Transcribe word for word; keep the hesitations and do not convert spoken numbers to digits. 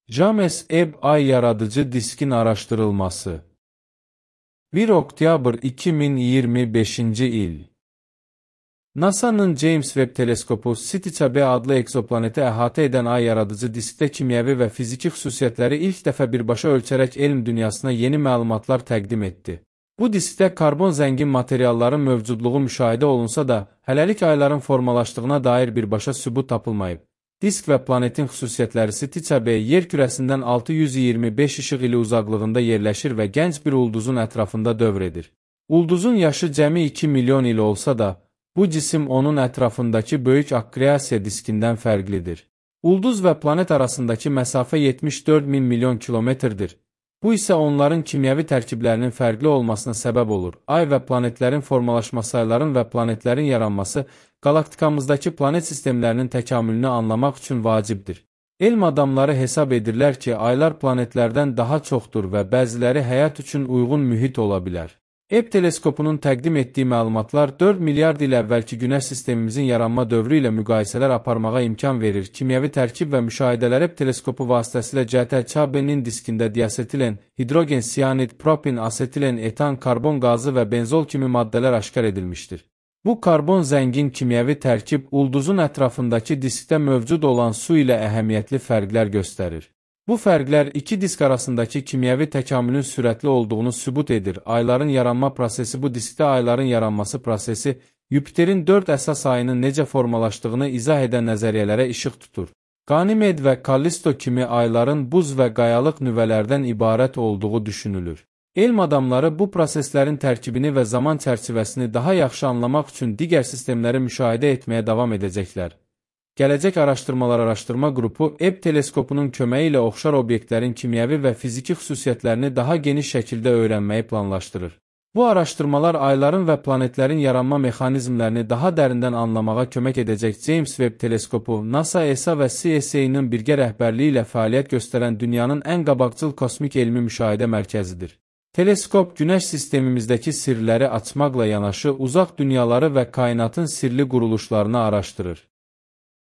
James Webb Ay yaradıcı diskin araştırılması. bir oktyabr iki min iyirmi beşinci il. NASA'nın James Webb teleskopu City B adlı egzoplaneti əhatə edən ay yaradıcı diskdə kimyəvi və fiziki xüsusiyyətləri ilk dəfə birbaşa ölçərək elm dünyasına yeni məlumatlar təqdim etdi. Bu diskdə karbon zəngin materialların mövcudluğu müşahidə olunsa da, hələlik ayların formalaşdığına dair birbaşa sübut tapılmayıb. Disk və planetin xüsusiyyətləri City B yer kürəsindən altı yüz iyirmi beş işıq ili uzaqlığında yerləşir və gənc bir ulduzun ətrafında dövr edir. Ulduzun yaşı cəmi iki milyon il olsa da, bu cisim onun ətrafındakı böyük akkreasiya diskindən fərqlidir. Ulduz və planet arasındakı məsafə yetmiş dörd min milyon kilometrdir. Bu isə onların kimyəvi tərkiblərinin fərqli olmasına səbəb olur. Ay və planetlərin formalaşması, ayların və planetlərin yaranması, qalaktikamızdakı planet sistemlərinin təkamülünü anlamaq üçün vacibdir. Elm adamları hesab edirlər ki, aylar planetlərdən daha çoxdur və bəziləri həyat üçün uyğun mühit ola bilər. Webb teleskopunun təqdim etdiyi məlumatlar dörd milyard il əvvəlki Günəş sistemimizin yaranma dövrü ilə müqayisələr aparmağa imkan verir. Kimyəvi tərkib və müşahidələr Webb teleskopu vasitəsilə C B-nin diskində diasetilen, hidrogen, siyanid, propin, asetilen, etan, karbon qazı və benzol kimi maddələr aşkar edilmişdir. Bu karbon zəngin kimyəvi tərkib ulduzun ətrafındakı diskdə mövcud olan su ilə əhəmiyyətli fərqlər göstərir. Bu fərqlər iki disk arasındakı kimyəvi təkamülün sürətli olduğunu sübut edir. Ayların yaranma prosesi bu diskdə ayların yaranması prosesi, Yupiterin dörd əsas ayının necə formalaşdığını izah edən nəzəriyyələrə işıq tutur. Qanimed və Kallisto kimi ayların buz və qayalıq nüvələrdən ibarət olduğu düşünülür. Elm adamları bu proseslərin tərkibini və zaman çərçivəsini daha yaxşı anlamaq üçün digər sistemləri müşahidə etməyə davam edəcəklər. Gələcək Araşdırmalar Araşdırma Qrupu Webb teleskopunun köməyi ilə oxşar obyektlərin kimyəvi və fiziki xüsusiyyətlərini daha geniş şəkildə öyrənməyi planlaşdırır. Bu araşdırmalar ayların və planetlərin yaranma mexanizmlərini daha dərindən anlamağa kömək edəcək. James Webb teleskopu, NASA, E S A və C S A-nın birgə rəhbərliyi ilə fəaliyyət göstərən dünyanın ən qabaqcıl kosmik elmi müşahidə mərkəzidir. Teleskop, Günəş sistemimizdəki sirləri açmaqla yanaşı, uzaq dünyaları və kainatın sirli quruluşlarını araşdırır.